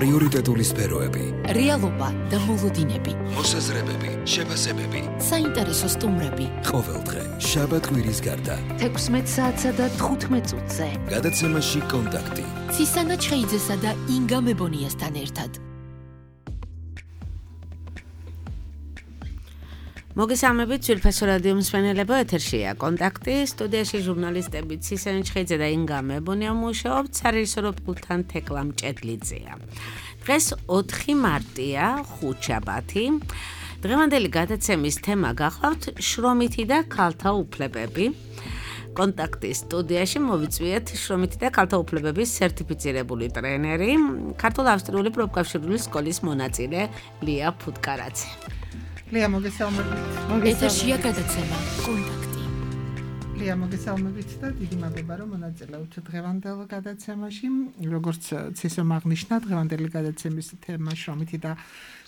პრიორიტეტული სფეროები, რეალობა და მოლოდინები, მოსაზრებები, შეფასებები, საინტერესო სტუმრები. ყოველდღე, შაბათ-კვირის გარდა, 16 საათსა და 15 წუთზე. გადაცემაში კონტაქტი. ცისანა ჩხეიძესა და ინგა მებონიასთან ერთად. მოგესალმებით, ძვირფასო რადიო მსმენელებო, ეთერშია კონტაქტი, სტუდიაში ჟურნალისტები ცისანა ჩხეიძე და ინგა მებონია მუშაობთ, სარეჟისორო პულტთან თეკლა მჭედლიძეა. დღეს 4 მარტია, ხუთშაბათი. დღევანდელი გადაცემის თემა გახლავთ შრომითი და ქალთა უფლებები. კონტაქტის სტუდიაში მოვიწვიეთ შრომითი და ქალთა უფლებების სერტიფიცირებული ტრენერი, ქართულ-ავსტრიული პროფკავშირული სკოლის მონაწილე ლია ფუტკარაძე. ლია, მოგესალმებით. ეთერშია გადაცემა კონტაქტი. ლია, მოგესალმებით და დიდი მადლობა, რომ მონაწილეობთ დღევანდელ გადაცემაში. როგორც ცისომ აღნიშნა, დღევანდელი გადაცემის თემა შრომითი და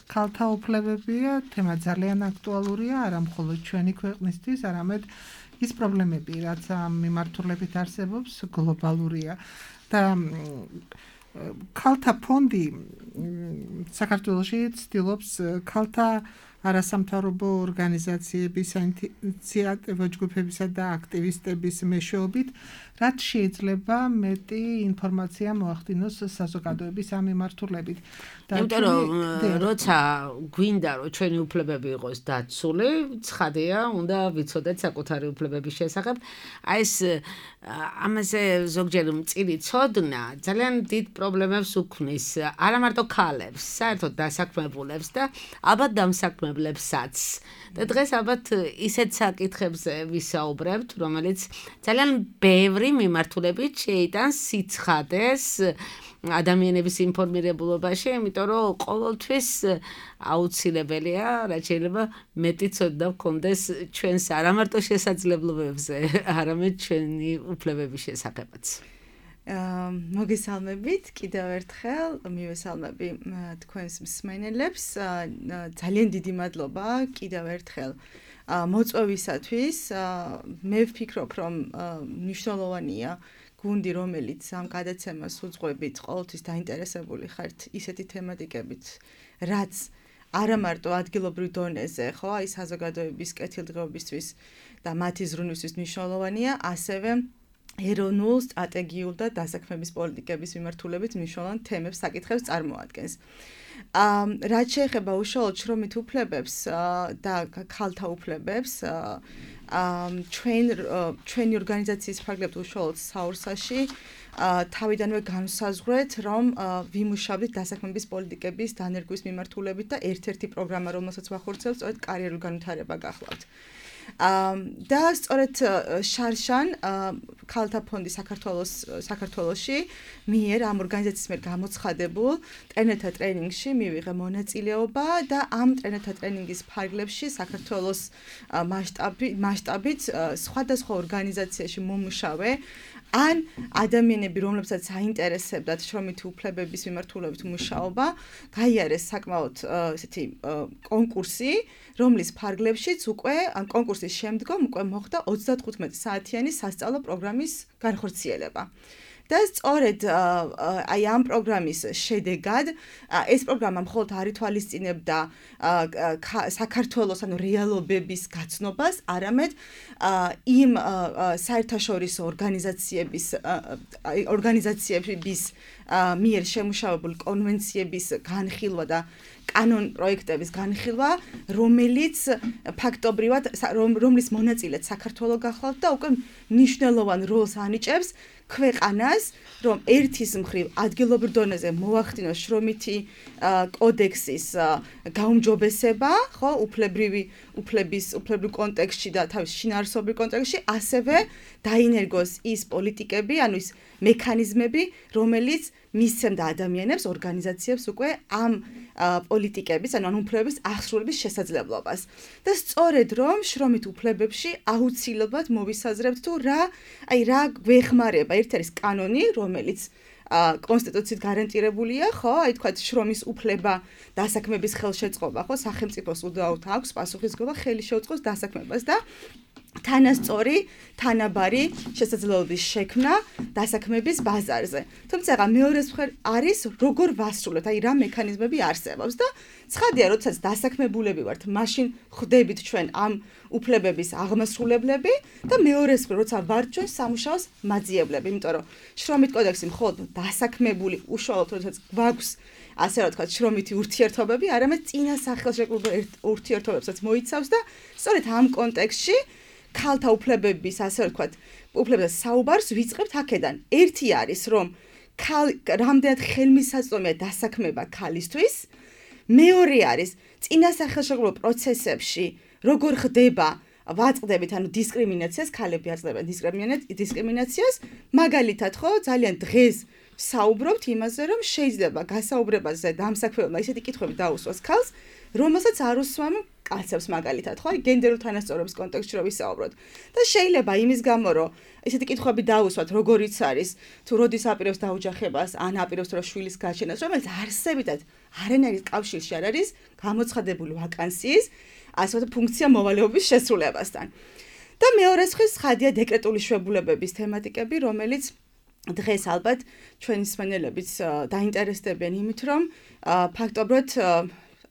ქალთა უფლებებია. თემა ძალიან აქტუალურია, არა მხოლოდ ჩვენი ქვეყნისთვის, არამედ ის პრობლემები, რაც ამ მიმართულებით არსებობს, გლობალურია. და ქალთა ფონდი საქართველოში ცდილობს ქალთა არასამთავრობო ორგანიზაციების, საინიციატივო ჯგუფებისა და აქტივისტების მეშვეობით, რაც შეიძლება მეტი ინფორმაცია მოახდინოს საზოგადოების ამ მიმართულებით. იმიტომ რომ როცა გვინდა რომ ჩვენი უფლებები იყოს დაცული, ცხადია, უნდა ვიცოდეთ საკუთარი უფლებების შესახებ. აი ეს ამაზე ზოგჯერ მწირი ცოდნა ძალიან დიდ პრობლემებს უქმნის, არა მარტო ქალებს, საერთოდ დასაქმებულებს და ალბათ დამსაქმებლებსაც. და დღეს ალბათ ისეთ საკითხებზე ვისაუბრებთ, რომელიც ძალიან ბევრი მიმართულებით შეიტანს სიცხადეს ადამიანების ინფორმირებულობაში, იმიტომ რომ ყოველთვის აუცილებელია, რაც შეიძლება მეტი ცოდნა გქონდეს ჩვენს არა მარტო შესაძლებლობებზე, არამედ ჩვენი უფლებების შესახებაც. მოგესალმებით კიდევ ერთხელ, მივესალმები თქვენს მსმენელებს. ძალიან დიდი მადლობა კიდევ ერთხელ მოწვევისათვის. მე ვფიქრობ, რომ მნიშვნელოვანია გუნდი, რომელიც ამ გადაცემას უძღვებით, ყოველთვის დაინტერესებული ხართ ისეთი თემატიკებით, რაც არა მარტო ადგილობრივ დონეზე, ხო, აი საზოგადოების კეთილდღეობისთვის და მათი ზრუნვისთვის მნიშვნელოვანია, ასევე ეროვნულ, სტრატეგიულ და დასაქმების პოლიტიკების მიმართულებით მნიშვნელოვან თემებს, საკითხებს წარმოადგენს. რაც შეეხება უშუალოდ შრომით უფლებებს და ქალთა უფლებებს, ჩვენი ორგანიზაციის ფარგლებს უშუალოდ საურსაში თავიდანვე განვსაზღვრეთ, რომ ვიმუშავდით დასაქმების პოლიტიკების დანერგვის მიმართულებით და ერთ-ერთი პროგრამა, რომელსაც ვახორციელებთ, სწორედ კარიერული განვითარება გახლავთ. და სწორედ შარშან ქალთა ფონდი საქართველოში მიერ ამ ორგანიზაციის მიერ გამოცხადებულ ტრენერთა ტრენინგში მივიღე მონაწილეობა და ამ ტრენერთა ტრენინგის ფარგლებში საქართველოს მასშტაბით სხვადასხვა ორგანიზაციაში მომუშავე ან ადამიანები, რომლებსაც აინტერესებდათ შრომითი უფლებების მიმართულებით მუშაობა, გაიარეს საკმაოდ ესეთი კონკურსი, რომლის ფარგლებშიც უკვე ამ კონკურსის შემდგომ უკვე მოხდა 35 საათიანი სასწავლო პროგრამის განხორციელება. და სწორედ აი ამ პროგრამის შედეგად ეს პროგრამა მხოლოდ არ ითვალისწინებდა საქართველოს ანუ რეალობების გაცნობას, არამედ იმ საერთაშორისო ორგანიზაციების მიერ შემუშავებული კონვენციების განხილვა და კანონ პროექტების განხილვა, რომელიც ფაქტობრივად რომლის მონაწილეც საქართველო გახლავთ და უკვე მნიშვნელოვან როლს ანიჭებს ქვეყანას, რომ ერთის მხრივ ადგილობრივ დონეზე მოახდინოს შრომითი კოდექსის გაუმჯობესება, ხო, უფლებრივ კონტექსტში და თავის შინაარსობრივ კონტექსტში, ასევე დაინერგოს ის პოლიტიკები, ანუ ის მექანიზმები, რომელიც მისცემდა ადამიანებს, ორგანიზაციებს უკვე ამ პოლიტიკების, ანუ ამ უფლებების აღსრულების შესაძლებლობას. და სწორედ რომ შრომით უფლებებში აუცილებლად მოვისაზრებთ თუ რა გვეხმარება. ერთი არის კანონი, რომელიც კონსტიტუციით გარანტირებულია, ხო, აი თქვათ შრომის უფლება, დასაქმების ხელშეწყობა, ხო, სახელმწიფოს უდაოდ აქვს პასუხისმგებლობა ხელი შეუწყოს დასაქმებას და თანასწორი, თანაბარი შესაძლებლობის შექმნა დასაქმების ბაზარზე. თუმცა მეორე მხრივ არის როგორ ვასრულებთ, აი რა მექანიზმები არსებობს და ცხადია, როდესაც დასაქმებულები ვართ, მაშინ ხვდებით ჩვენ ამ უფლებების აღმასრულებლები და მეორე მხრივ როცა ვართ ჩვენ სამუშაოს მაძიებლები, იმიტომ რომ შრომით კოდექსი მხოლოდ დასაქმებული უშუალოდ როდესაც გვაქვს ასე რა ვთქვათ, შრომითი ურთიერთობები, არამედ წინა სახელმწიფო ურთიერთობებსაც მოიცავს და სწორედ ამ კონტექსტში ქალთა უფლებების, ასე ვთქვათ, უფლებების საუბარს ვიწყებთ აქედან. ერთი არის, რომ რამდენად ხელმისაწვდომია დასაქმება ქალისთვის, მეორე არის, წინა სახელმწიფო პროცესებში როგორ ხდება ვაწყდებით ანუ დისკრიმინაციას, ქალები აწყდებენ დისკრიმინაციას, მაგალითად ხო, ძალიან დღეს საუბრობთ იმაზე, რომ შეიძლება გასაუბრებაზე დამსაქმებელმა ისეთი კითხვები დაუსვას ქალს, რომელსაც არ უსვამ კაცებს მაგალითად, ხო? გენდერულ თანასწორობის კონტექსტში რომ ვისაუბროთ. და შეიძლება იმის გამო, რომ ესეთი კითხვები დაუსვათ, როგორიც არის, თუ როდის აპირებს დაოჯახებას, ან აპირებს რომ შვილის გაჩენას, რომელიც არსებითად არანაირი კავშირში არ არის გამოცხადებული ვაკანსიის, ასე ვთქვათ, ფუნქცია მოვალეობის შესრულებასთან. და მეორე მხრივ ხადია დეკრეტული შვებულებების თემატიკები, რომელიც დღეს ალბათ ჩვენი მსმენელებიც დაინტერესდებიან იმით, რომ ფაქტობრივად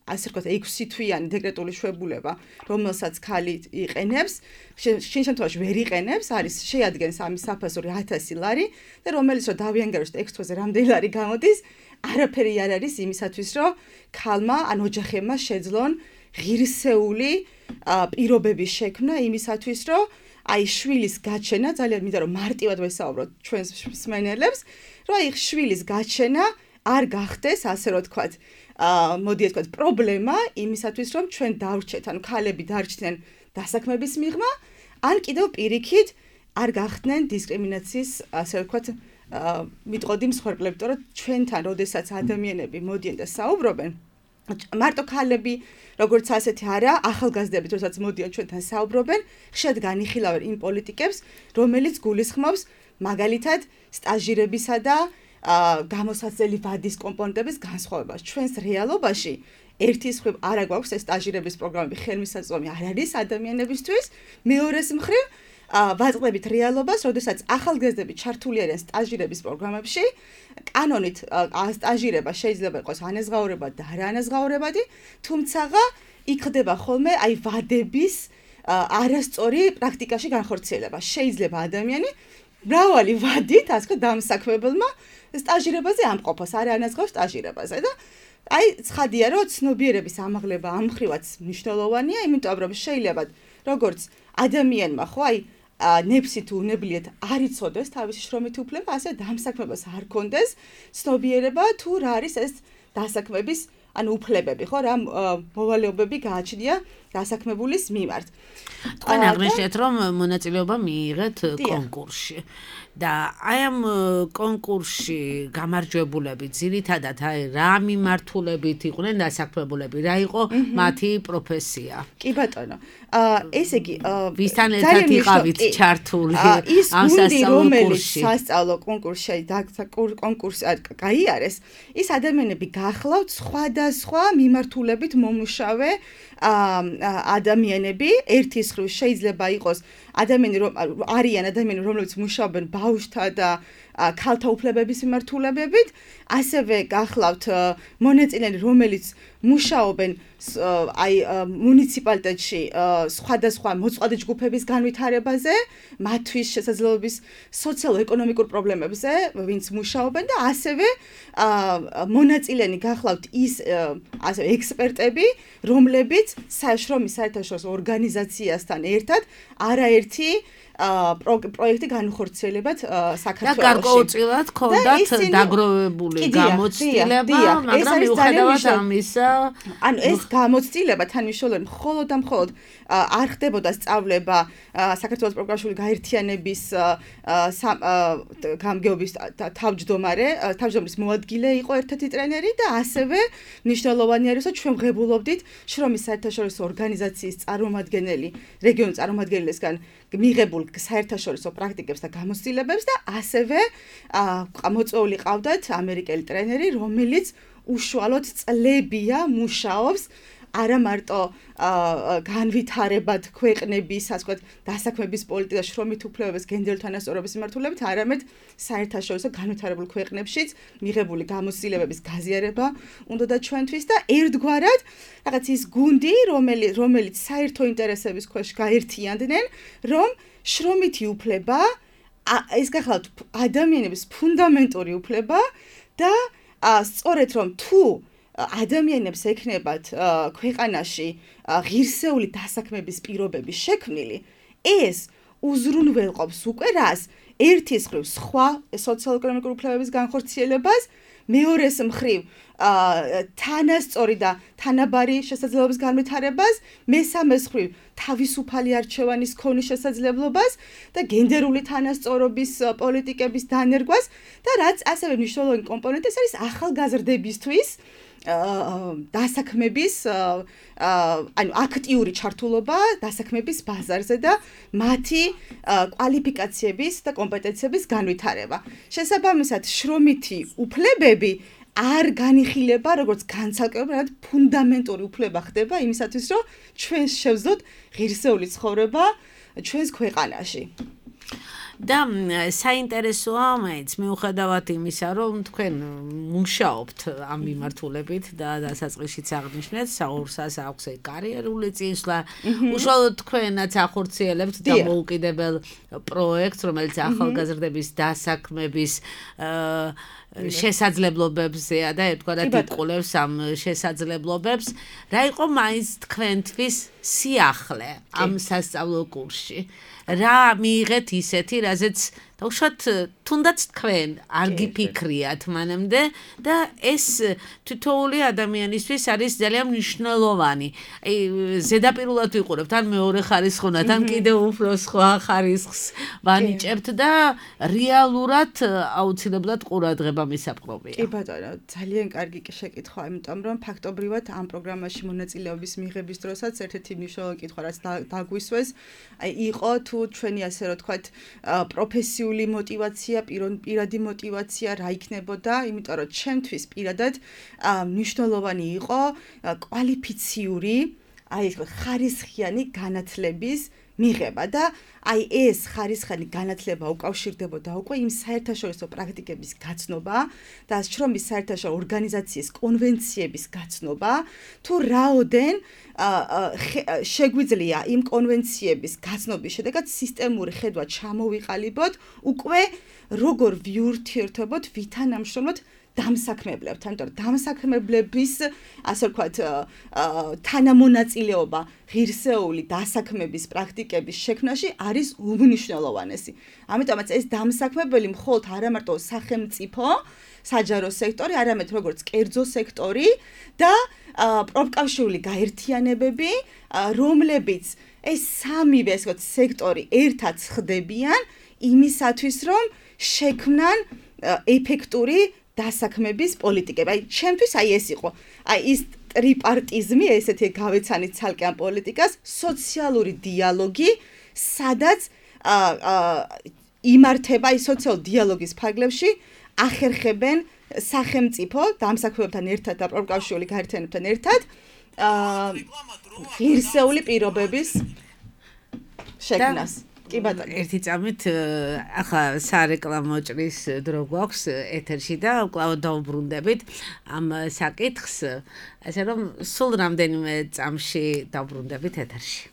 ასე ვთქვათ, 6 თვიანი დეკრეტული შვებულება, რომელსაც ქალი იყენებს, შინ შემთხვევაში ვერ იყენებს, არის შეადგენს ამის საფასური 1000 ლარი და რომელიც რომ დავიანგაროთ 6 თვეზე რამდენი ლარი გამოდის, არაფერი არ არის იმისათვის, რომ ქალმა ან ოჯახებმა შეძლონ ღირსეული პირობების შექმნა იმისათვის, რომ აი შვილის გაჩენა, ძალიან მინდა რომ მარტივად ვესაუბროთ ჩვენს მსმენელებს, რომ აი შვილის გაჩენა არ გახდეს, ასე რომ ვთქვათ, მოდი ასე ვთქვათ, პრობლემა იმისათვის, რომ ჩვენ დავრჩეთ, ანუ ქალები დარჩნენ დასაქმების მიღმა, ან კიდევ პირიქით არ გახდნენ დისკრიმინაციის, ასე ვთქვათ, მიტყოდი მსხვერპლები, იმიტომ რომ ჩვენთან, როდესაც ადამიანები მოდიან და საუბრობენ, მარტო ქალები, როგორც ასეთი არა, ახალგაზრდები, როდესაც მოდიან ჩვენთან საუბრობენ, ხშირად განიხილავენ იმ პოლიტიკებს, რომელიც გულისხმობს მაგალითად სტაჟირებისა და გამოსაცდელი ვადის კომპონენტების განსხვავებას. ჩვენს რეალობაში ერთის მხრივ არა გვაქვს ეს სტაჟირების პროგრამები, ხელმისაწვდომი არ არის ადამიანებისთვის, მეორეს მხრივ ვაწყდებით რეალობას, როდესაც ახალგაზრდები ჩართული არიან სტაჟირების პროგრამებში, კანონით სტაჟირება შეიძლება იყოს ანაზღაურებადი და არაანაზღაურებადი, თუმცა იქ ხდება ხოლმე აი ვადების არასწორი პრაქტიკაში განხორციელება. შეიძლება ადამიანი მრავალი ვადით, ასე ვთქვათ, დამსაქმებელმა სტაჟირებაზე ამყოფოს, არაანაზღაურ სტაჟირებაზე და აი ცხადია, რომ ცნობიერების ამაღლება ამ მხრივაც მნიშვნელოვანია, იმიტომ რომ შეიძლება როგორც ადამიანმა ხო აი ნეფსი თუ უნებლიეთ არ იცოდეს თავისი შრომითი უფლება, ასე დამსაქმებას არ კონდეს ცნობიერება თუ რა არის ეს დასაქმების ანუ უფლებები, ხო, რა მოვალეობები გააჩნია დასაქმებულის მიმართ. თქვენ აღნიშნეთ, რომ მონაწილეობა მიიღეთ კონკურსში. და აი ამ კონკურსში გამარჯვებულები ძირითადად აი რა მიმართულებით იყვნენ დასაქმებულები, რა იყო მათი პროფესია? კი ბატონო. ესე იგი, ვისთან ერთად იყავით ჩართული ამ სასწავლო კურსში? სასწავლო კონკურსში კონკურსი გაიარეს, ის ადამიანები გახლავთ სხვადასხვა მიმართულებით მომუშავე ადამიანები, ერთის მხრივ შეიძლება იყოს არიან ადამიანები, რომლებიც მუშაობენ ბავშვთა და ქალთა უფლებების მიმართულებებით, ასევე გახლავთ მონაწილეები, რომელიც მუშაობენ აი მუნიციპალიტეტში სხვადასხვა მოწყვლადი ჯგუფების განვითარებაზე, მათთვის შესაძლებლობის სოციალურ-ეკონომიკურ პრობლემებზე, ვინც მუშაობენ და ასევე მონაწილენი გახლავთ ის ასე ექსპერტები, რომლებიც შრომის საერთაშორისო ორგანიზაციასთან ერთად არაერთი პროექტი განხორციელებათ საქართველოში. და გარკვეულწილად ჰქონდათ დაგროვებული გამოცდილება, მაგრამ მიუხედავად ამისა, ანუ ეს გამოცდილება თანმიმდევრულად მხოლოდ და მხოლოდ არ ხდებოდა სწავლება საქართველოს პროგრამული გაერთიანების გამგეობის თავმჯდომარის მოადგილე იყო ერთ-ერთი ტრენერი და ასევე მნიშვნელოვანი არის, რომ ჩვენ ვღებულობდით შრომის საერთაშორისო ორგანიზაციის წარმომადგენელი, რეგიონის წარმომადგენლისგან მიღებულ საერთაშორისო პრაქტიკებს და გამოცდილებებს და ასევე მოწვეული ყავდათ ამერიკელი ტრენერი, რომელიც უშუალოდ წლებია მუშაობს არა მარტო განვითარებად ქვეყნების, ასე ვთქვათ, დასაქმების პოლიტიკას, შრომით უფლებების, გენდერული თანასწორობის მიმართულებით, არამედ საერთაშორისო განვითარებულ ქვეყნებშიც მიღებული გამოცდილებების გაზიარება უნდა ჩვენთვის და ერთგვარად რაღაც ის გუნდი, რომელიც საერთო ინტერესების ქვეშ გაერთიანდნენ, რომ შრომითი უფლება ეს გახლავთ ადამიანების ფუნდამენტური უფლება და სწორედ რომ თუ ადამიანებს ექნებათ ქვეყანაში ღირსეული დასაქმების პირობები შექმნილი, ეს უზრუნველყოფს უკვე რას? ერთის მხრივ სხვა სოციალურ-ეკონომიკური უფლებების განხორციელებას, მეორეს მხრივ თანასწორი და თანაბარი შესაძლებლობის განვითარებას, მესამეს მხრივ თავისუფალი არჩევანის ქონის შესაძლებლობას და გენდერული თანასწორობის პოლიტიკების დანერგვას და რაც ასევე მნიშვნელოვანი კომპონენტი არის ახალგაზრდებისთვის დასაქმების აქტიური ჩართულობა დასაქმების ბაზარზე და მათი კვალიფიკაციების და კომპეტენციების განვითარება. შესაბამისად, შრომითი უფლებები არ განიხილება როგორც განცალკევებად ფუნდამენტური უფლება ხდება იმისათვის, რომ ჩვენ შევძლოთ ღირსეული ცხოვრება ჩვენს ქვეყანაში. და საინტერესოა მაინც მიუხედავად იმისა, რომ თქვენ მუშაობთ ამ მიმართულებით და დასაწყისშიც აღნიშნეთ, საურსას აქვს კარიერული წინსვლა, უშუალოდ თქვენაც ახორციელებთ დამოუკიდებელ პროექტს, რომელიც ახალგაზრდების დასაქმების შესაძლებლობებზეა და ერთგვარად იკვლევს ამ შესაძლებლობებს. რა იყო მაინც თქვენთვის სიახლე ამ სასწავლო კურსში? რა მიიღეთ ისეთი, რაზეც უშუალოდ თუნდაც თქვენ არ გიფიქრიათ მანამდე და ეს თითოეული ადამიანისთვის არის ძალიან მნიშვნელოვანი. აი ზედაპირულად ვიყურებთ, ან მეორე ხარისხოვნად, ან კიდევ უფრო სხვა ხარისხს ვანიჭებთ და რეალურად აუცილებლად ყურადღება მისაპყრობია. კი ბატონო, ძალიან კარგი შეკითხვა, იმიტომ რომ ფაქტობრივად ამ პროგრამაში მონაწილეობის მიღების დროსაც ერთ-ერთი მნიშვნელოვანი კითხვა, რაც დაგვისვეს, იყო თუ ჩვენი ასე რომ თქვათ პროფესიული მოტივაცია, პირადი მოტივაცია რა იქნებოდა, იმიტომ რომ ჩემთვის პირადად მნიშვნელოვანი იყო კვალიფიციური, აი ეს ხარისხიანი განათლების მიღება და აი ეს ხარისხიანი განათლება უკავშირდებოდა უკვე იმ საერთაშორისო პრაქტიკების გაცნობა და შრომის საერთაშორისო ორგანიზაციის კონვენციების გაცნობა, თუ რაოდენ შეგვიძლია იმ კონვენციების გაცნობის შედეგად სისტემური ხედვა ჩამოვიყალიბოთ, უკვე როგორ ვიურთიერთობთ ვითანამშრომლოთ დამსაქმებლებთან, იმიტომ რომ დამსაქმებლების, ასე ვთქვათ, თანამონაწილეობა ღირსეული დასაქმების პრაქტიკების შექმნაში არის უმნიშვნელოვანესი. ამიტომაც ეს დამსაქმებელი მხოლოდ არა მარტო სახელმწიფო, საჯარო სექტორი, არამედ როგორც კერძო სექტორი და პროფკავშირული გაერთიანებები, რომლებიც ეს სამივე ასე ვთქვათ სექტორი ერთად ხდებიან იმისათვის, რომ შექმნან ეფექტური დასაქმების პოლიტიკები. აი, ჩემთვის აი ეს იყო. აი ის ტრიპარტიზმი, ესეთი გავეცანით ცალკე ამ პოლიტიკას, სოციალური დიალოგი, სადაც იმართება აი სოციალური დიალოგის ფარგლებში ახერხებენ სახელმწიფო დამსაქმებლებთან ერთად და პროფკავშირული გაერთიანებებთან ერთად ღირსეული პირობების შექმნას. კი ბატონო. ერთი წამით ახლა სარეკლამო ჭრის დრო გვაქვს ეთერში და კვლავ დავუბრუნდებით ამ საკითხს, ასე რომ სულ რამდენიმე წამში დავუბრუნდებით ეთერში.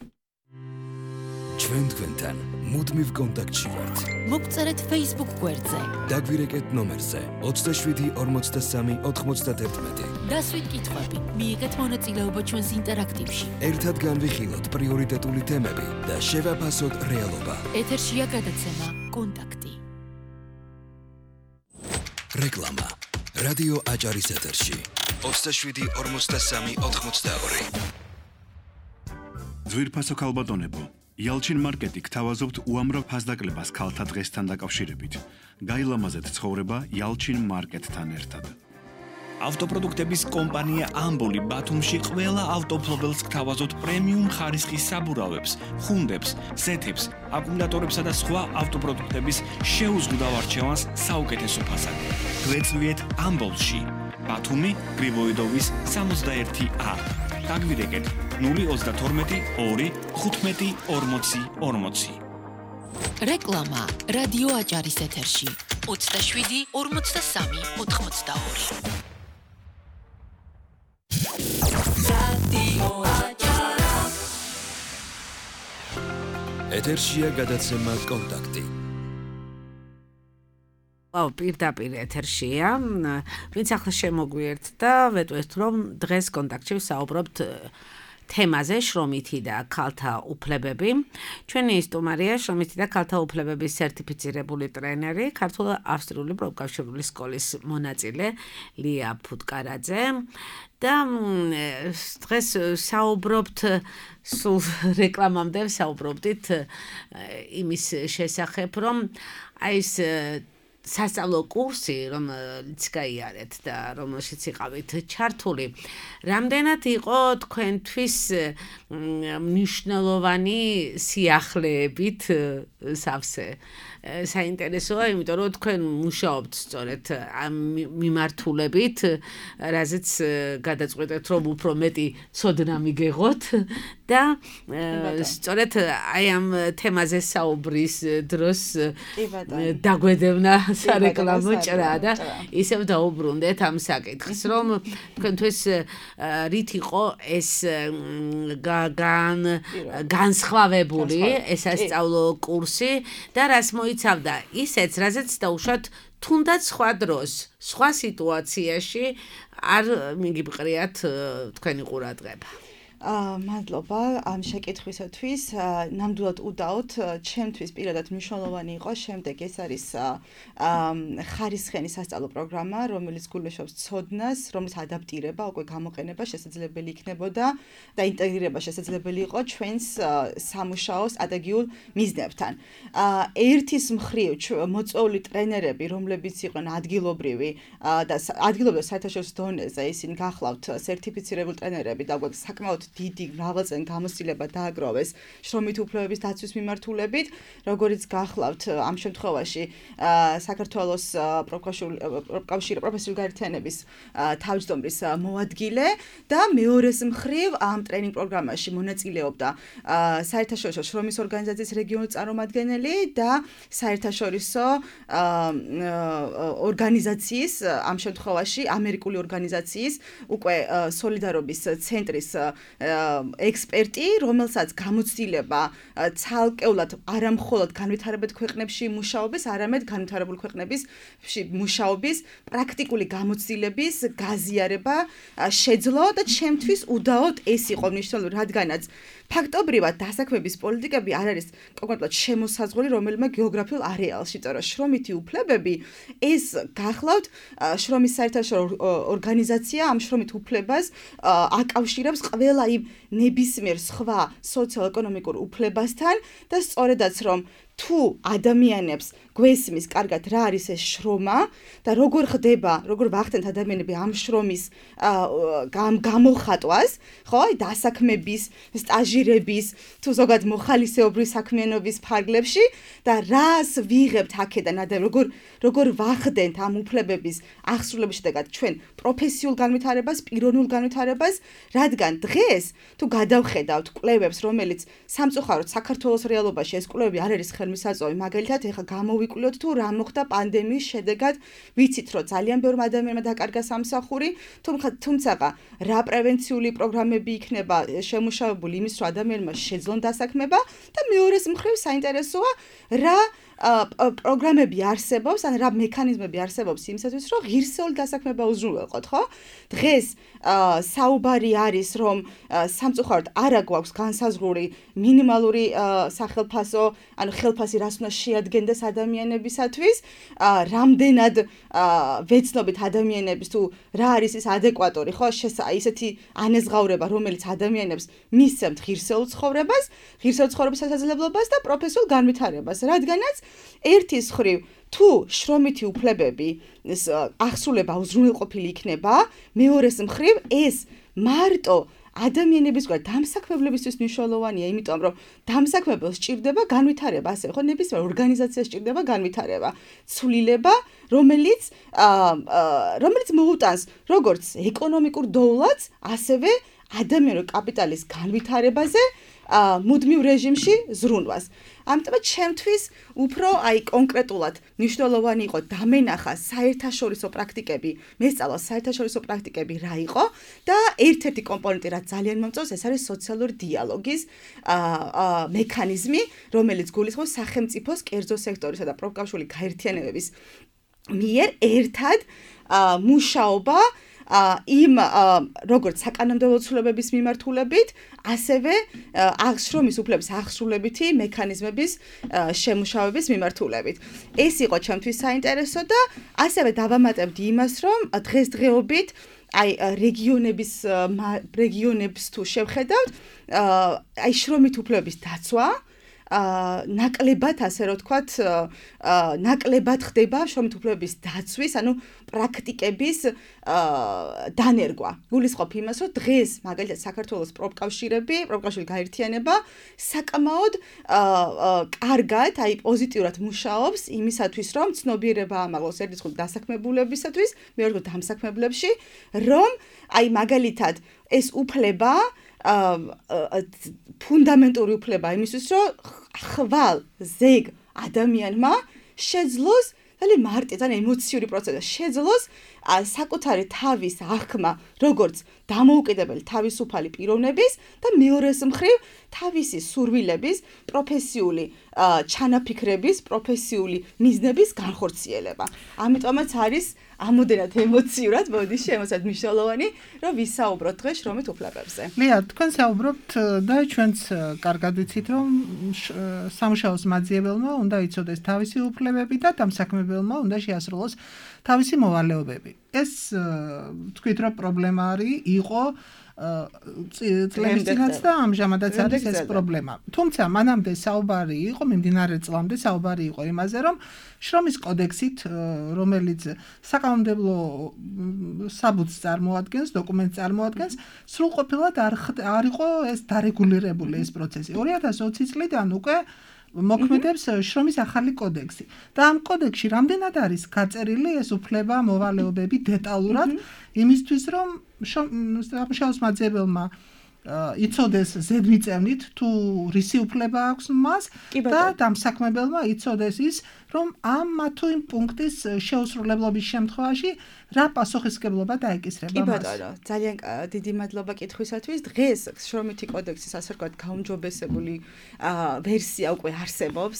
ჩვენ თქვენთან მუდმივ კონტაქტში ვართ. მოგწერეთ Facebook გვერდზე. დაგვირეკეთ ნომერზე 27 43 91. დასვით კითხვები, მიიღეთ მონაწილეობა ჩვენს ინტერაქტივში. ერთად განვიხილოთ პრიორიტეტული თემები და შევაფასოთ რეალობა. ეთერშია გადაცემა კონტაქტი. რეკლამა. რადიო აჭარის ეთერში 27 43 92. ძვირფასო ქალბატონებო, იალჩინ მარკეტი გთავაზობთ უამრავ ფასდაკლებას ქალთა დღესთან დაკავშირებით. გაილამაზეთ ცხოვრება იალჩინ მარკეტთან ერთად. ავტოპროდუქტების კომპანია ამბოლი ბათუმში ყველა ავტოფლობელს გთავაზობთ პრემიუმ ხარისხის საბურავებს, ხუნდებს, ზეთებს, აკუმულატორებსა და სხვა ავტოპროდუქტების შეუზღუდავ არჩევანს საუკეთესო ფასად. გვეწვიეთ ამბოლში, ბათუმი, გრიბოიდოვის 61A. დაგვირეკეთ 032 2 15 40 40. რეკლამა რადიო აჭარის ეთერში 27 43 82. ეთერშია გადაცემა კონტაქტი. პირდაპირ ეთერშია. ვინც ახლა შემოგვიერთდა, ვეტყვით რომ დღეს კონტაქტში ვსაუბრობთ თემაზე შრომითი და ქალთა უფლებები. ჩვენი სტუმარია შრომითი და ქალთა უფლებების სერტიფიცირებული ტრენერი, ქართულ-ავსტრიული პროფკავშირული სკოლის მონაწილე ლია ფუტკარაძე. და დღეს საუბრობთ სულ რეკლამამდე საუბრობდით იმის შესახებ, რომ აი ეს სასწავლო კურსი, რომელიც გაიარეთ და რომელშიც იყავით ჩართული, რამდენად იყო თქვენთვის მნიშვნელოვანი სიახლეებით სავსე? საინტერესოა, იმიტომ რომ თქვენ მუშაობთ სწორედ ამ მიმართულებით, რაზეც გადაწყვეტეთ, რომ უფრო მეტი ცოდნა მიგეღოთ და სწორედ აი ამ თემაზე საუბრის დროს დაგვედევნა სარეკლამო ჭრა და ისევ დაუბრუნდეთ ამ საკითხს, რომ თქვენთვის რით იყო ეს განსხვავებული ეს სასწავლო კურსი და რას მოიცავდა ისეც, რაზეც დაუშვათ თუნდაც სხვა დროს, სხვა სიტუაციაში არ მიგიბყრიათ თქვენი ყურადღება. მადლობა ამ შეკითხვისათვის. ნამდვილად უდაოდ, ჩემთვის პირადად მნიშვნელოვანი იყო შემდეგ ეს არის ხარისხიანი სასწავლო პროგრამა, რომელიც გულისხმობს ცოდნას, რომლის ადაპტირება, უკვე გამოყენება შესაძლებელი იქნებოდა და ინტეგრირება შესაძლებელი იყო ჩვენს სამუშაო სტრატეგიულ მიზნებთან. ერთის მხრივ მოწვეული ტრენერები, რომლებიც იყვნენ ადგილობრივი და ადგილობრივ საერთაშორისო დონეზე, ისინი გახლავთ სერტიფიცირებული ტრენერები და უკვე საკმაოდ დიდი მრავალწლიანი გამოცდილება დააგროვეს შრომითი უფლებების დაცვის მიმართულებით, როგორიც გახლავთ ამ შემთხვევაში საქართველოს პროფესიული გაერთიანების თავმჯდომარის მოადგილე და მეორეს მხრივ ამ ტრენინგ პროგრამაში მონაწილეობდა საერთაშორისო შრომის ორგანიზაციის რეგიონული წარმომადგენელი და საერთაშორისო ორგანიზაციის, ამ შემთხვევაში ამერიკული ორგანიზაციის უკვე სოლიდარობის ცენტრის ექსპერტი, რომელსაც გამოცდილება ცალკეულად არამხოლოდ განვითარებულ ქვეყნებში მუშაობის, არამედ განვითარებულ ქვეყნებში მუშაობის პრაქტიკული გამოცდილების გაზიარება შეძლო და ჩემთვის უდაოდ ეს იყო მნიშვნელოვანი, რადგანაც ფაქტობრივად დასაქმების პოლიტიკები არ არის კონკრეტულად შემოსაზღვრული რომელიმე გეოგრაფიულ არეალში, იმიტომ რომ შრომითი უფლებები ეს გახლავთ შრომის საერთაშორისო ორგანიზაცია ამ შრომით უფლებას აკავშირებს ყველა იმ ნებისმიერ სხვა სოციალ-ეკონომიკურ უფლებასთან და სწორედაც რომ თუ ადამიანებს გვესმის კარგად რა არის ეს შრომა და როგორ ხდება, როგორ ვახდენთ ადამიანები ამ შრომის გამოხატვას, ხო, დასაქმების, სტაჟირების, თუ ზოგადად მოხალისეობრივი საქმიანობის ფარგლებში და რას ვიღებთ აქედან ადამიანები, როგორ ვახდენთ ამ უფლებების აღსრულების შედეგად ჩვენ პროფესიულ განვითარებას, პიროვნულ განვითარებას, რადგან დღეს თუ გადავხედავთ კვლევებს, რომელიც სამწუხაროდ საქართველოს რეალობაში ეს კვლევები არ არის ხელმისაწვდომი, მაგალითად, ეხლა გამოვიკვლიოთ თუ რა მოხდა პანდემიის შედეგად, ვიცით რომ ძალიან ბევრ ადამიანმა დაკარგა სამსახური, თუმცა რა პრევენციული პროგრამები იქნება შემუშავებული იმის, რომ ადამიანმა შეძლონ დასაქმება და მეორეს მხრივ საინტერესოა რა პროგრამები არსებობს, ან რა მექანიზმები არსებობს იმისათვის, რომ ღირსეული დასაქმება უზრუნველყოთ, ხო? დღეს საუბარი არის, რომ სამწუხაროდ არა გვაქვს განსაზღვრული მინიმალური სახელფასო, ანუ ხელფასი რას უნდა შეადგენდეს ადამიანებისათვის, რამდენად ვეცნობით ადამიანების თუ რა არის ის ადეკვატორი, ხო? ისეთი ანეზღაურება, რომელიც ადამიანებს მისცემთ ღირსეულ ცხოვრებას შესაძლებლობას და პროფესიულ განვითარებას, რადგანაც ერთის მხრივ თუ შრომითი უფლებები აღსრულება უზრუნველყოფილი იქნება, მეორეს მხრივ ეს მარტო ადამიანების დამსაქმებლებისთვის მნიშვნელოვანია, იმიტომ რომ დამსაქმებელს სჭირდება განვითარება, ასე ხო, ნებისმიერ ორგანიზაციას სჭირდება განვითარება, ცვლილება, რომელიც მოუტანს როგორც ეკონომიკურ დოვლადს, ასევე ადამიანური კაპიტალის განვითარებაზე მუდმივ რეჟიმში ზრუნვას. ამიტომ ჩემთვის უფრო კონკრეტულად მნიშვნელოვანი იყო დამენახა საერთაშორისო პრაქტიკები, მესწავლა საერთაშორისო პრაქტიკები რა იყო და ერთ-ერთი კომპონენტი რაც ძალიან მომწონს, ეს არის სოციალური დიალოგის მექანიზმი, რომელიც გულისხმობს სახელმწიფოს, კერძო სექტორისა და პროფკავშირული გაერთიანებების მიერ ერთად მუშაობა იმ როგორც საკანონმდებლო ცვლილებების მიმართულებით, ასევე შრომის უფლების აღსრულებითი მექანიზმების შემუშავების მიმართულებით. ეს იყო ჩემთვის საინტერესო და ასევე დავამატებდი იმას, რომ დღესდღეობით რეგიონებს თუ შევხედავთ, შრომით უფლებების დაცვა ნაკლებად, ასე რომ ვთქვათ, ნაკლებად ხდება შრომით უფლებების დაცვის, ანუ პრაქტიკების დანერგვა. გულისხმობ იმას, რომ დღეს მაგალითად საქართველოს პროფკავშირული გაერთიანება საკმაოდ კარგად, პოზიტიურად მუშაობს იმისათვის, რომ ცნობიერება ამაღლოს ერთის მხრივ დასაქმებულებისათვის, მეორე მხრივ დამსაქმებლებში, რომ მაგალითად ეს უფლება ფუნდამენტური უფლება იმისთვის, რომ ხვალ ზეგ ადამიანმა შეძლოს ძალიან მარტივ, ძალიან ემოციური პროცესზე შეძლოს საკუთარი თავის აღქმა, როგორც დამოუკიდებელი თავისუფალი პიროვნების და მეორეს მხრივ თავისი სურვილების, პროფესიული ჩანაფიქრების, პროფესიული მიზნების განხორციელება. ამიტომაც არის ამოდენად ემოციურად, ემოციურად მნიშვნელოვანი, რომ ვისაუბროთ დღეს შრომით უფლებებზე. ლია, თქვენ საუბრობთ და ჩვენც კარგად ვიცით, რომ სამუშაოს მაძიებელმა უნდა იცოდეს თავისი უფლებები და დამსაქმებელმა უნდა შეასრულოს თავისი მოვალეობები. ეს თქვით, რომ პრობლემა იყო წლების წინაც და ამჟამადაც არის ეს პრობლემა. თუმცა მანამდე საუბარი იყო, მიმდინარე წლამდე საუბარი იყო იმაზე, რომ შრომის კოდექსით, რომელიც საკანონმდებლო საბუთს წარმოადგენს, დოკუმენტს წარმოადგენს, სრულყოფილად არ იყო ეს დარეგულირებული ეს პროცესი. 2020 წლიდან უკვე მოქმედებს შრომის ახალი კოდექსი. და ამ კოდექსში რამდენად არის გაწერილი ეს უფლება, მოვალეობები დეტალურად, იმისთვის, რომ სამუშაოს მაძიებელმა იცოდეს ზედმიწევნით თუ რისი უფლება აქვს მას და დამსაქმებელმა იცოდეს ის, რომ ამ თუ იმ პუნქტის შეუსრულებლობის შემთხვევაში რა პასუხისმგებლობა დაეკისრება მას. კი ბატონო, ძალიან დიდი მადლობა კითხვისათვის. დღეს შრომითი კოდექსის ასე ვთქვათ გაუმჯობესებული ვერსია უკვე არსებობს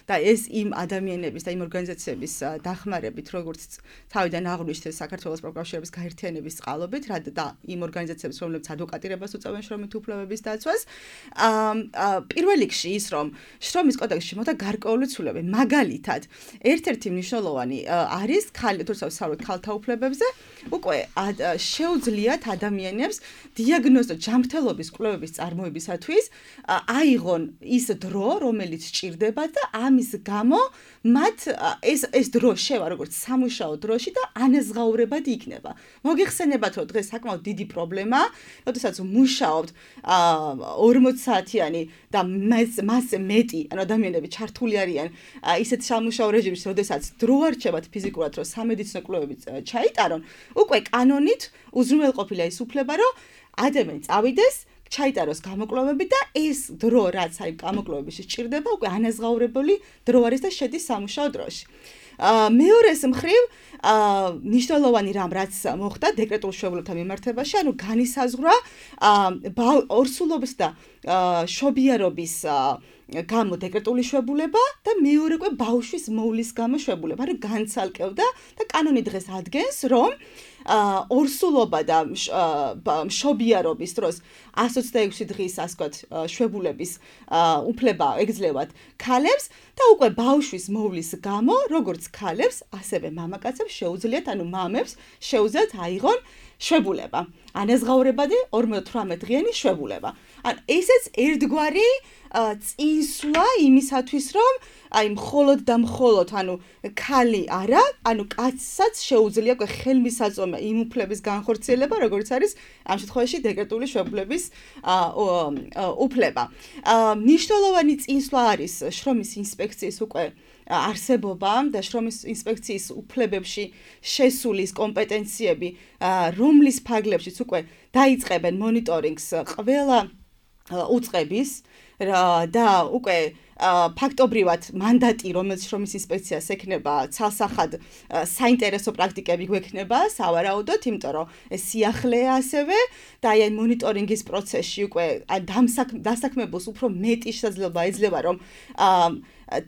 და ეს იმ ადამიანების და იმ ორგანიზაციების დახმარებით, როგორც თავიდან აღვნიშნეთ საქართველოს პროფკავშირების გაერთიანების წყალობით და იმ ორგანიზაციების, რომლებიც ადვოკატირებას უწევენ შრომით უფლებების დაცვას. პირველ რიგში ის, რომ შრომის კოდექსში მოხდა გარკვეული ცვლილებები, მაგალითად, ერთ-ერთი მნიშვნელოვანი არის ქალთა უფლებებზე, უკვე შეუძლიათ ადამიანებს დიაგნოზო ჯანმრთელობის კვლევების წარმოებისათვის აიღონ ის დრო, რომელიც სჭირდებათ და ამის გამო მათ ეს დრო შევა როგორც სამუშაო დროში და ანაზღაურებად იქნება. მოგიხსენებათ, რომ დღეს საკმაოდ დიდი პრობლემაა, როდესაც მუშაობთ 40 საათიანი და მასზე მეტი ადამიანები ჩართული არიან ისეთ სამუშაო რეჟიმში, როდესაც დრო არ რჩებათ ფიზიკურად, რომ სამედიცინო კვლევები ჩაიტარონ, უკვე კანონით უზრუნველყოფილია ის უფლება, რომ ადამიანი წავიდეს, ჩაიტაროს გამოკვლევები და ეს დრო, რაც აი გამოკვლევებში სჭირდება, უკვე ანაზღაურებული დრო არის და შედის სამუშაო დროში. მეორეს მხრივ, მნიშვნელოვანი რამ რაც მოხდა დეკრეტულ მშობლებთან მიმართებაში, ანუ განისაზღვრა ორსულობის და შობიარობის გამო დეკრეტული შვებულება და მეორე უკვე ბავშვის მოვლის გამო შვებულება, ანუ განცალკევდა და კანონი დღეს ადგენს, რომ ორსულობა და მშობიარობის დროს 126 დღის ასე ვთქვათ შვებულების უფლება ეგძლევათ ქალებს და უკვე ბავშვის მოვლის გამო როგორც ქალებს, ასევე მამაკაცებს შეუძლიათ, ანუ მამებს შეუძლიათ აიღონ შვებულება. ანაზღაურებადი 48 დღიანი შვებულება. ან ესეც ერთგვარი წინსვლა იმისათვის, რომ აი მხოლოდ და მხოლოდ, ანუ ქალი არა, ანუ კაცსაც შეუძლია ხელმისაწვდომი იმ უფლების განხორციელება, როგორც არის ამ შემთხვევაში დეკრეტული შვებულების უფლება. მნიშვნელოვანი წინსვლა არის შრომის ინსპექციის უკვე არსებობა და შრომის ინსპექციის უფლებებში შესული კომპეტენციები, რომლის ფარგლებშიც უკვე დაიწყებენ მონიტორინგს ყველა უწყების და უკვე ფაქტობრივად მანდატი, რომელიც შრომის ინსპექციას ექნება, ცალსახად საინტერესო პრაქტიკები გვექნება, სავარაუდოდ, იმიტომ რომ ეს სიახლეა ასევე და აი მონიტორინგის პროცესში უკვე დასაქმებულს უფრო მეტი შესაძლებლობა ეძლევა, რომ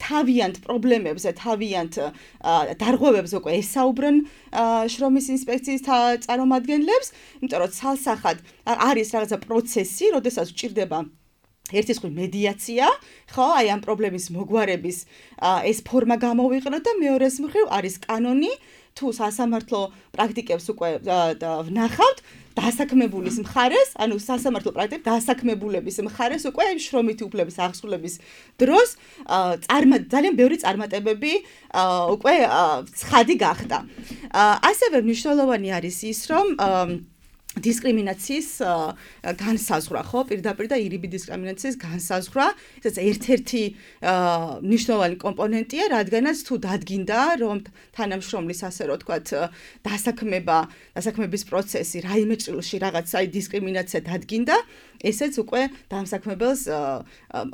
თავიანთ პრობლემებზე, თავიანთ დარღვევებზე უკვე ესაუბრონ შრომის ინსპექციის წარმომადგენლებს, იმიტომ რომ ცალსახად არის რაღაცა პროცესი, როდესაც ჭირდება ერთის მხრივ მედიაცია, ხო, აი ამ პრობლემის მოგვარების ეს ფორმა გამოვიყენოთ და მეორეს მხრივ არის კანონი, თუ სასამართლო პრაქტიკებს უკვე ვნახავთ, დასაქმებულის მხარეს, ანუ სასამართლო პრაქტიკები დასაქმებულების მხარეს უკვე შრომითი უფლების აღსრულების დროს ძალიან ბევრი წარმატებები უკვე ცხადი გახდა. ასევე მნიშვნელოვანი არის ის, რომ დისკრიმინაციის განსაზღვრა, ხო, პირდაპირ და ირიბი დისკრიმინაციის განსაზღვრა, ეს ერთ-ერთი მნიშვნელოვანი კომპონენტია, რადგანაც თუ დადგინდა, რომ თანამშრომლის ასე რომ თქვათ, დასაქმების პროცესი რაიმე ჭრილში რაღაცა დისკრიმინაცია დადგინდა, ესეც უკვე დამსაქმებელს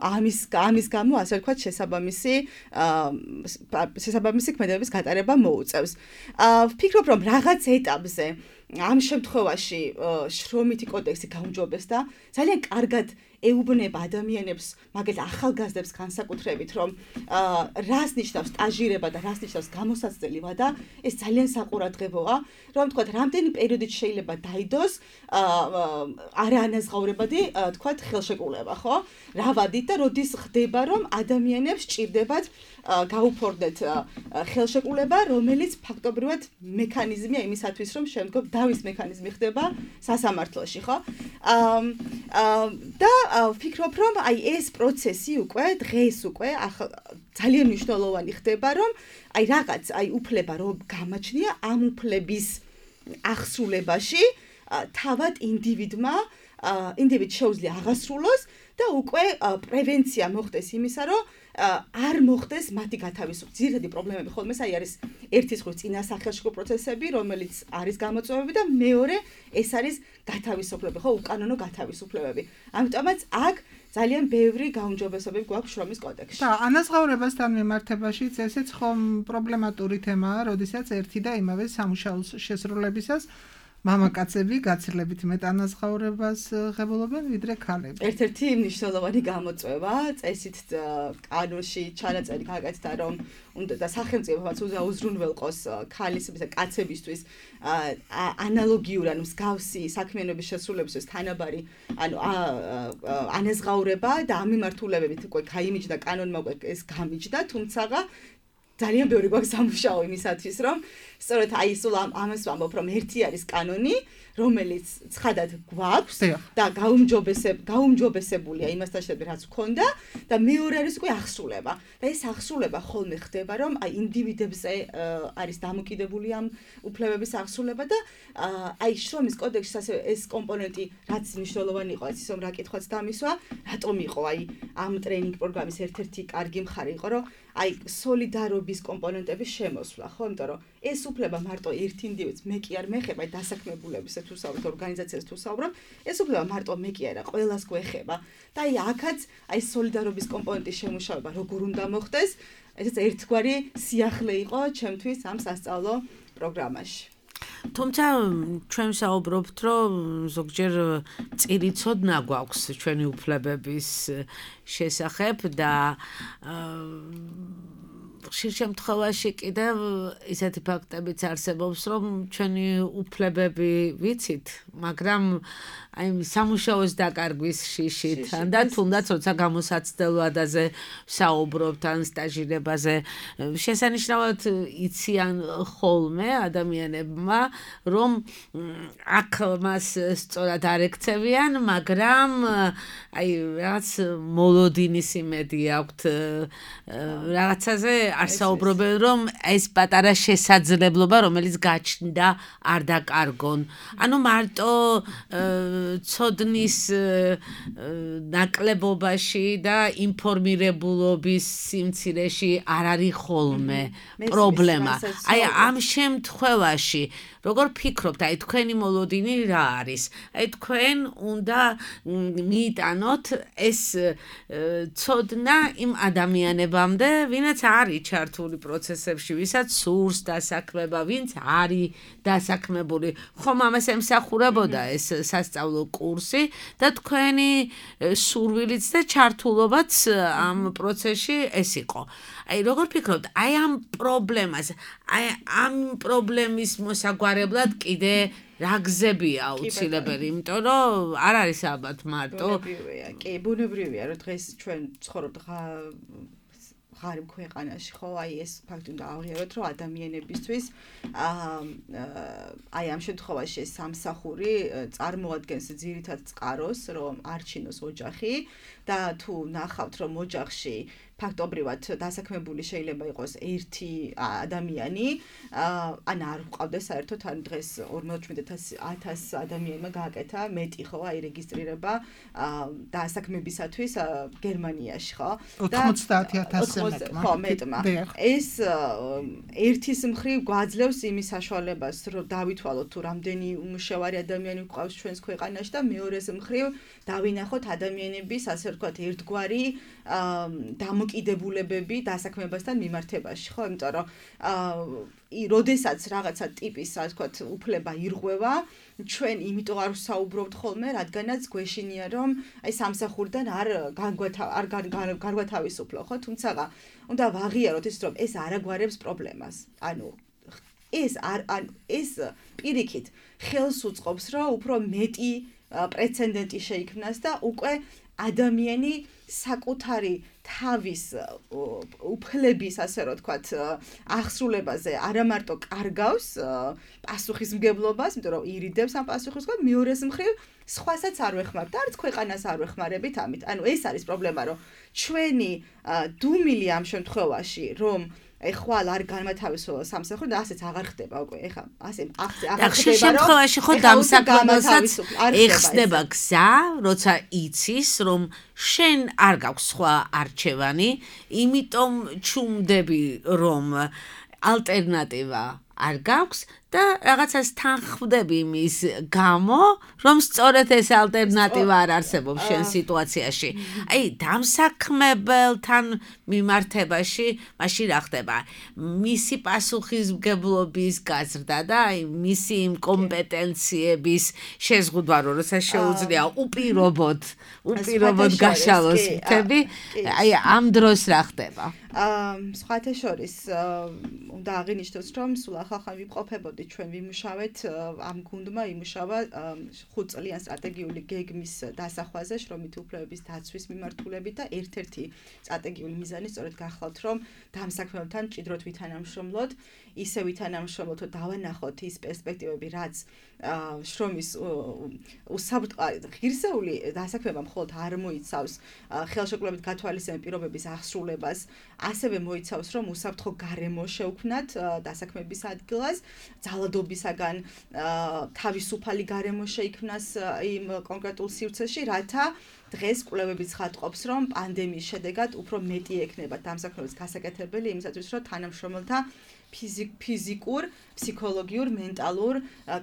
ამის გამო ასე ვთქვათ შესაბამისი ქმედებების გატარება მოუწევს. ვფიქრობ, რომ რაღაც ეტაპზე ამ შემთხვევაში შრომითი კოდექსი გაუმჯობესდა, ძალიან კარგად ეუბნება ადამიანებს, მაგალითად ახალგაზრდებს განსაკუთრებით, რომ რას ნიშნავს სტაჟირება და რას ნიშნავს გამოსაცდელი ვადა, ეს ძალიან საყურადღებოა, რომ თქვათ, რამდენი პერიოდით შეიძლება დაიდოს არაანაზღაურებადი, თქვათ, ხელშეკრულება, ხო? რა ვადით და როდის ხდება, რომ ადამიანებს ჭირდებათ გაუფორდეთ ხელშეკრულება, რომელიც ფაქტობრივად მექანიზმია იმისათვის, რომ შემდგომ დავის მექანიზმი ხდება სასამართლოში, ხო? და ვფიქრობ, რომ აი ეს პროცესი უკვე დღეს უკვე ძალიან მნიშვნელოვანი ხდება, რომ აი რაღაც აი უფლება რომ გამაჩნია ამ უფლების აღსრულებაში თავად ინდივიდს შეუძლია აღასრულოს და უკვე პრევენცია მოხდეს იმისა, რომ არ მოხდეს მათი გათავისუფლება. ძირითადი პრობლემები ხოლმე აი არის ერთის მხრივ წინასახელშეკრულო პროცესები, რომელიც არის გამოწვევები და მეორე ეს არის გათავისუფლება, ხო, უკანონო გათავისუფლებები. ამიტომაც აქ ძალიან ბევრი გაუმჯობესებები გვაქვს შრომის კოდექსში. და ანაზღაურებასთან მიმართებაშიც ესეც ხომ პრობლემატური თემაა, როდესაც ერთი და იმავე სამუშაოს შესრულებისას მამაკაცები გაცილებით მეტ ანაზღაურებას ღებულობენ ვიდრე ქალები. ერთ-ერთი მნიშვნელოვანი გამოწვევა წესით კანონში ჩანაწერი გაკეთდა, რომ უნდა და სახელმწიფოც უზრუნველყოს ქალისების და კაცებისთვის ანალოგიური, ანუ მსგავსი საქმიანობის შესრულებისთვის თანაბარი, ანუ ანაზღაურება და ამ მიმართულებებით უკვე გაიმიჯდა კანონმა უკვე ეს გამიჯდა, თუმცა ძალიან ბევრი გვაქვს სამუშაო იმისათვის, რომ სწორედ აი სულ ამას ვამბობ, რომ ერთი არის კანონი, რომელიც ცხადად გვაქვს და გაუმჯობესებულია იმასთან შედარებით, რაც გვქონდა და მეორე არის უკვე აღსრულება. და ეს აღსრულება ხოლმე ხდება, რომ აი ინდივიდებზე არის დამოკიდებული ამ უფლებების აღსრულება და აი შრომის კოდექსში ასე ეს კომპონენტი რაც მნიშვნელოვანი იყო, ის რომ რა კითხვაც დამისვა, რატომ იყო აი ამ ტრეინინგ პროგრამის ერთ-ერთი კარგი მხარე იყო, რომ აი სოლიდარობის კომპონენტების შემოსვლა, ხო, იმიტომ რომ ეს უფლება მარტო ერთ ინდივიდს მე კი არ მეხება დასაქმებულებს თუ საუბრობ ორგანიზაციას თუ საუბრობ, ეს უფლება მარტო მე კი არა, ყველას გვეხება. და აი აქაც აი სოლიდარობის კომპონენტის შემუშავება როგორ უნდა მოხდეს, ესეც ერთგვარი სიახლე იყო ჩემთვის ამ სასწავლო პროგრამაში. თუმცა ჩვენ საუბრობთ, რომ ზოგჯერ წირი ცოდნა გვაქვს ჩვენი უფლებების შესახებ და ხშირ შემთხვევაში კიდევ ისეთი ფაქტებიც არსებობს, რომ ჩვენი უფლებები ვიცით, მაგრამ აი სამუშაოს დაკარგვის შიშით, და თუნდაც როცა გამოსაცდელ ვადაზე საუბრობთ ან სტაჟირებაზე, შესანიშნავად იციან ხოლმე ადამიანებმა, რომ აქ მას სწორად არ ექცევიან, მაგრამ აი რაღაც მოლოდინის იმედი აქვთ რაღაცაზე არ საუბრობენ რომ ეს პატარა შესაძლებლობა რომელიც გაჩნდა არ დაკარგონ. ანუ მარტო ცოდნის ნაკლებობაში და ინფორმირებულობის სიმცირეში არ არის ხოლმე პრობლემა. აი ამ შემთხვევაში როგორ ფიქრობთ, აი თქვენი მოლოდინი რა არის? აი თქვენ უნდა მიიტანოთ ეს ცოდნა იმ ადამიანებამდე, ვინაც არის ჩართული პროცესებში, ვისაც სურს დასაქმება, ვინც არის დასაქმებული. ხომ ამას ემსახურებოდა ეს სასწავლო კურსი და თქვენი სურვილიც და ჩართულობაც ამ პროცესში ეს იყო. აი როგორ ფიქრობთ, აი ამ პრობლემას, აი ამ პრობლემის მოსაგვარებლად კიდე რა გზებია აუცილებელი, იმიტომ რომ არ არის ალბათ მარტო. კი, ბუნებრივია, რომ დღეს ჩვენ ცხოვრობთ ღარიბ ქვეყანაში, ხო, აი ეს ფაქტი უნდა აღიაროთ, რომ ადამიანებისთვის აი ამ შემთხვევაში ეს სამსახური წარმოადგენს ძირითად წყაროს, რომ არჩინოს ოჯახი და თუ ნახავთ, რომ ოჯახში ფაქტობრივად დასაქმებული შეიძლება იყოს ერთი ადამიანი, ან არ გვყავდეს საერთოდ, ან დღეს 47,000 ადამიანმა გააკეთა მეტი, ხო, აი რეგისტრირება დასაქმებისათვის გერმანიაში, ხო? 90,000 ხო, მეტმა. ეს ერთის მხრივ გვაძლევს იმის საშუალებას, რომ დავითვალოთ თუ რამდენი უმუშევარი ადამიანი გვყავს ჩვენს ქვეყანაში და მეორეს მხრივ დავინახოთ ადამიანების, ასე ვთქვათ, ერთგვარი დამოკიდებულებები დასაქმებასთან მიმართებაში, ხო? იმიტომ რომ როდესაც რაღაცა ტიპის, ასე ვთქვათ, უფლება ირღვევა, ჩვენ იმიტომ არ ვსაუბრობთ ხოლმე, რადგანაც გვეშინია, რომ აი სამსახურიდან არ გარგვათავისუფლო, ხო? თუმცა უნდა ვაღიაროთ ის, რომ ეს არ აგვარებს პრობლემას. ანუ ეს პირიქით ხელს უწყობს, რომ უფრო მეტი პრეცედენტი შეიქმნას და უკვე ადამიანი საკუთარი თავის უფლების, ასე რომ ვთქვათ, აღსრულებაზე არა მარტო კარგავს პასუხისმგებლობას, იმიტომ რომ ირიდებს ამ პასუხისმგებლობას, მეორეს მხრივ სხვასაც არ ვეხმარებთ, არც ქვეყანას არ ვეხმარებით ამით. ანუ ეს არის პრობლემა, რომ ჩვენი დუმილი ამ შემთხვევაში, რომ ხვალ არ განმათავისუფლება სამსახური და ასეც აღარ ხდება უკვე. ეხლა ასე აღარ ხდება. შემთხვევაში ხო დამსაქმებელსაც ეხსნება გზა, როცა იცის, რომ შენ არ გაქვს სხვა არჩევანი, იმიტომ ჩუმდები, რომ ალტერნატივა არ გაქვს და რაღაცას თანხმდები იმის გამო, რომ სწორედ ეს ალტერნატივა არ არსებობს შენ სიტუაციაში. აი, დამსაქმებელთან მიმართებაში მაშინ რა ხდება? მისი პასუხისმგებლობის გაზრდა და აი მისი იმ კომპეტენციების შეზღუდვა, როდესაც შეუძლია უპირობოდ გაშალოს მთები, აი ამ დროს რა ხდება? სხვათა შორის უნდა აღინიშნოს, რომ სულ ახალ ვიმყოფებოდი ჩვენ ვიმუშავეთ ამ გუნდმა იმუშავა 5 წლიან სტრატეგიული გეგმის დასახვაზე შრომითი უფლებების დაცვის მიმართულებით და ერთ-ერთი სტრატეგიული მიზანი სწორედ გახლავთ, რომ დამსაქმებელთან მჭიდროდ ვითანამშრომლოთ, ისე ვითანამშრომლოთ, რომ დავანახოთ ის პერსპექტივები, რაც შრომის ღირსეული დასაქმება მხოლოდ არ მოიცავს ხელშეკრულებით გათვალისწინებულ პირობების აღსრულებას, ასევე მოიცავს, რომ უსაფრთხო გარემო შევქმნათ დასაქმების ადგილას, ძალადობისაგან თავისუფალი გარემო შეიქმნას იმ კონკრეტულ სივრცეში, რათა დღეს კვლევები ცხადყოფს, რომ პანდემიის შედეგად უფრო მეტი ექნება დამსაქმებლის გასაკეთებელი იმისათვის, რომ თანამშრომელთა ფიზიკურ, ფსიქოლოგიურ, მენტალურ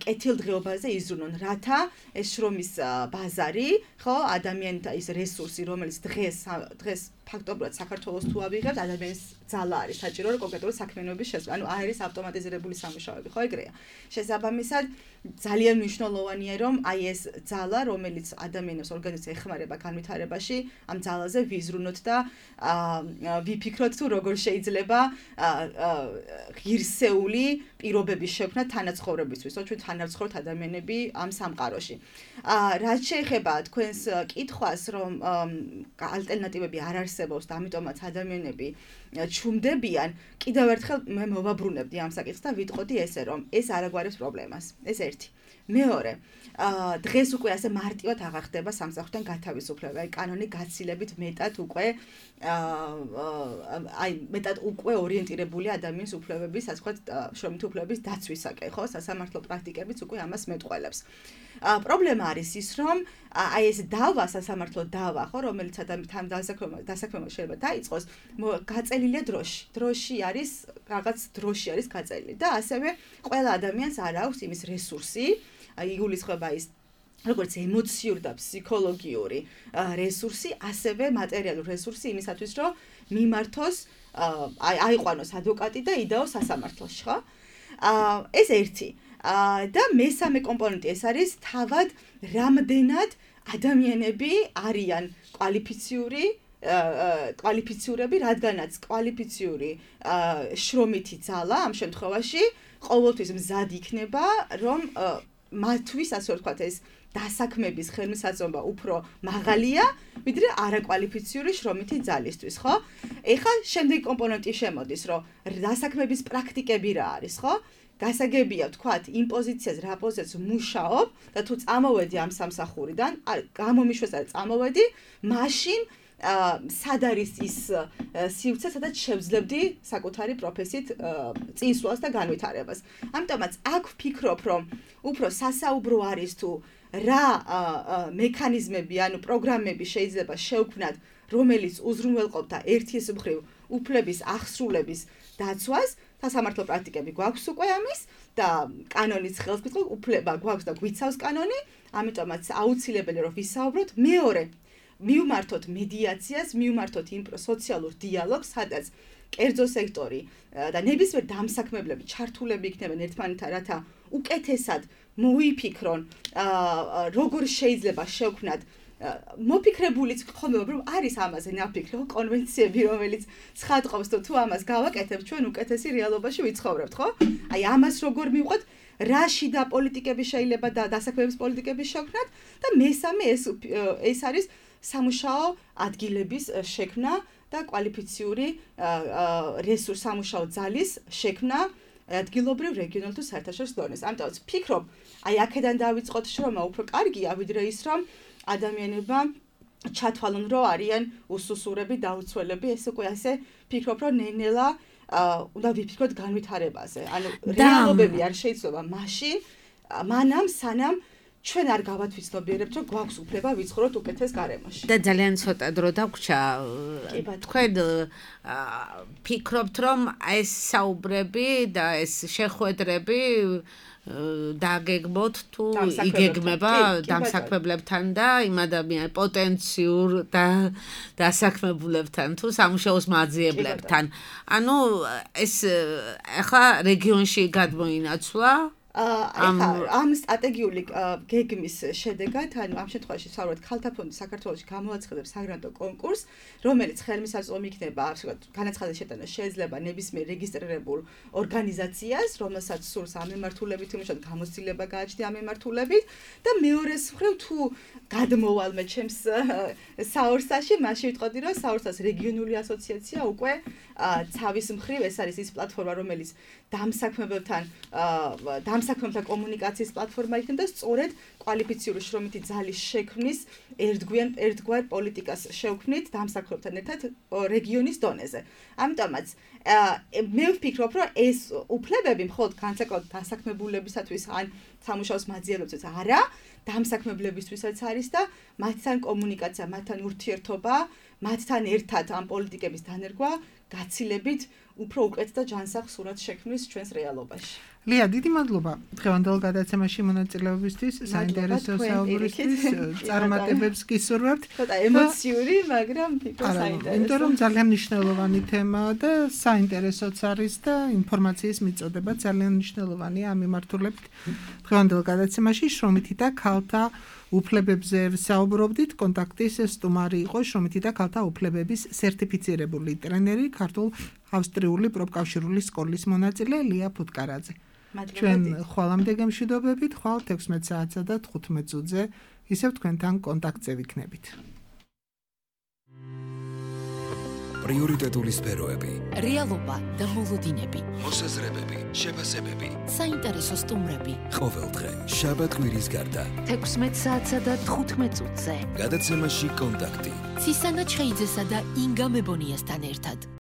კეთილდღეობაზე იზრუნონ, რათა ეს შრომის ბაზარი, ხო, ადამიანთა ის რესურსი, რომელიც დღეს ფაქტობრივად საქართველოს თუ ავიღებთ, ადამიანის ძალა არის საჭირო, რომ კონკრეტული საქმიანობის შესწავლა, ანუ არ არის ავტომატიზირებული სამუშაოები, ხო ეგრეა. შესაბამისად, ძალიან მნიშვნელოვანია, რომ აი ეს ძალა, რომელიც ადამიანის ორგანიზმს ეხმარება განვითარებაში, ამ ძალაზე ვიზრუნოთ და ვიფიქროთ თუ როგორ შეიძლება ღირსეული პირობების შექმნა თანაცხოვრებისთვის, ჩვენ თანაცხოვრობთ ადამიანები ამ სამყაროში. რაც შეეხება თქვენს კითხვას, რომ ალტერნატივები არ არსებობს არსებობს და ამიტომაც ადამიანები ჩუმდებიან, კიდევ ერთხელ მე მოვაბრუნებდი ამ საკითხს და ვიტყოდი ესე, რომ ეს არ აგვარებს პრობლემას. ეს ერთი. მეორე, დღეს უკვე ასე მარტივად აღარ ხდება სამსახურთან გათავისუფლება, აი კანონი გაცილებით მეტად უკვე მეტად უკვე ორიენტირებული ადამიანის უფლებების, ასე ვთქვათ, შრომითი უფლებების დაცვისაკენ, ხო? სასამართლო პრაქტიკებიც უკვე ამას მეტყველებს. პრობლემა არის ის, რომ აი ეს დავა, სასამართლო დავა, ხო, რომელიც თან დასაქმება შეიძლება დაიწყოს, გაწელილია დროში. დროში არის რაღაც დროში არის გაწელილი და ასევე ყველა ადამიანს არ აქვს იმის რესურსი, იგულისხმება ის როგორც ემოციური და ფსიქოლოგიური რესურსი, ასევე მატერიალური რესურსი იმისათვის, რომ მიმართოს, აიყვანოს ადვოკატი და იდაოს სასამართლოში, ხო? ეს ერთი. და მესამე კომპონენტი ეს არის თავად რამდენად ადამიანები არიან კვალიფიციურები, რადგანაც კვალიფიციური შრომითი ძალა ამ შემთხვევაში ყოველთვის მზად იქნება, რომ მათთვის, ასე ვთქვათ, ეს დასაქმების ხელმისაწვდომობა უფრო მაღალია, ვიდრე არაკვალიფიციური შრომითი ძალისთვის, ხო? ეხლა შემდეგი კომპონენტი შემოდის, რომ დასაქმების პრაქტიკები რა არის, ხო? გასაგებია ვთქვათ, იმ პოზიციაზე, რა პოზიციაზე მუშაობ და თუ წამოვედი ამ სამსახურიდან, გამომიშვეს და წამოვედი, მაშინ სად არის ის სივრცე, სადაც შევძლებდი საკუთარი პროფესიით წინსვლას და განვითარებას. ამიტომაც აქ ვფიქრობ, რომ უფრო სასაუბრო არის თუ რა მექანიზმები, ანუ პროგრამები შეიძლება შევქმნათ, რომელიც უზრუნველყოფდა ერთის მხრივ უფლების აღსრულების დაცვას, სასამართლო პრაქტიკები გვაქვს უკვე ამის და კანონის ხელს გვიწყობს, უფლება გვაქვს და გვიცავს კანონი, ამიტომაც აუცილებელია რომ ვისაუბროთ. მეორე, მივმართოთ მედიაციას, მივმართოთ იმ სოციალურ დიალოგს, სადაც კერძო სექტორი და ნებისმიერ დამსაქმებლები ჩართულები იქნებიან ერთმანეთთან, რათა უკეთესად მოიფიქრონ, როგორ შეიძლება შევქმნათ მოფიქრებულიც ხომ რომ არის ამაზე ნაფიქრი, ხო, კონვენციები, რომელიც ცხადყოფს, თუ ამას გავაკეთებთ, ჩვენ უკეთესი რეალობაში ვიცხოვრებთ, ხო? აი ამას როგორ მივყვეთ, რა შიდა პოლიტიკები შეიძლება და დასაქმების პოლიტიკები შევქმნათ და მესამე ეს არის სამუშაო ადგილების შექმნა და კვალიფიციური სამუშაო ძალის შექმნა ადგილობრივ, რეგიონულ თუ საერთაშორისო დონეზე. ამიტომ ვფიქრობ, აი აქედან დავიწყოთ შრომა უფრო კარგია, ვიდრე ის რომ ადამიანებმა ჩათვალონ, რომ არიან უსუსურები, დაუცველები, ეს უკვე ასე ვფიქრობ, რომ ნელ-ნელა უნდა ვიფიქროთ განვითარებაზე. ანუ რეალობები არ შეიძლება მაშინ, მანამ სანამ ჩვენ არ გავათვითცნობიერებთ, რომ გვაქვს უფლება ვიცხოვროთ უკეთეს გარემოში. და ძალიან ცოტა დრო დაგვრჩა. თქვენ ფიქრობთ, რომ ეს საუბრები და ეს შეხვედრები დაგეგმოთ თუ იგეგმება დამსაქმებლებთან და იმ ადამიანებთან პოტენციურ და დასაქმებულებთან თუ სამუშაოს მაძიებლებთან. ანუ ეს ახლა რეგიონში გადმოინაცვლა ამ სტრატეგიული გეგმის შედეგად, ანუ ამ შემთხვევაში ვსაუბრობთ ქალთა ფონდი საქართველოში გამოაცხადებს საგრანტო კონკურსს, რომელიც ხელმისაწვდომი იქნება, ასე ვთქვათ, განაცხადის შეტანა შეიძლება ნებისმიერ რეგისტრირებულ ორგანიზაციას, რომელსაც სურს ამ მიმართულებით იმუშავოთ, გამოცდილება გააჩნია ამ მიმართულებით და მეორეს მხრივ თუ გადმოვალ მე ჩემს საორსაში, მაშინ ვიტყოდი, რომ საორსას რეგიონული ასოციაცია უკვე ცავის მხრივ ეს არის ის პლატფორმა, რომელიც დამსაქმებელთა კომუნიკაციის პლატფორმა იქნება და სწორედ კვალიფიციური შრომითი ძალის შექმნის ერთგვარ პოლიტიკას შევქმნით დამსაქმებელთან ერთად რეგიონის დონეზე. ამიტომაც მე ვფიქრობ, რომ ეს უფლებები მხოლოდ განსაკუთრებით დასაქმებულებისათვის ან სამუშაოს მაძიებლებისთვის არა, დამსაქმებლებისთვისაც არის და მათთან კომუნიკაცია, მათთან ურთიერთობა, მათთან ერთად ამ პოლიტიკების დანერგვა გაცილებით უფრო უკეთ და ჯანსაღ სურათს შექმნის ჩვენს რეალობაში. ლია, დიდი მადლობა დღევანდელ გადაცემაში მონაწილეობისთვის, საინტერესო საუბრისთვის, წარმატებებს გისურვებთ. ცოტა ემოციური, მაგრამ ფიქრობ საინტერესო. იმიტომ რომ ძალიან მნიშვნელოვანი თემაა და საინტერესოც არის და ინფორმაციის მიწოდება ძალიან მნიშვნელოვანია ამ მიმართულებით. დღევანდელ გადაცემაში შრომითი და ქალთა უფლებებზე საუბრობდით. კონტაქტის სტუმარი იყო შრომითი და ქალთა უფლებების სერტიფიცირებული ტრენერი, ქართულ-ავსტრიული პროფკავშირული სკოლის მონაწილე ლია ფუტკარაძე. ჩვენ ხვალამდე გემშვიდობებით, ხვალ 16 საათსა და 15 წუთზე ისევ თქვენთან კონტაქტზე ვიქნებით. პრიორიტეტული სფეროები, რეალობა და მოლოდინები, მოსაზრებები, შეფასებები. საინტერესო სტუმრები. ყოველდღე, შაბათ-კვირის გარდა. 16 საათსა და 15 წუთზე. გადაცემაში კონტაქტი. ცისანა ჩხეიძესა და ინგა მებონიასთან ერთად.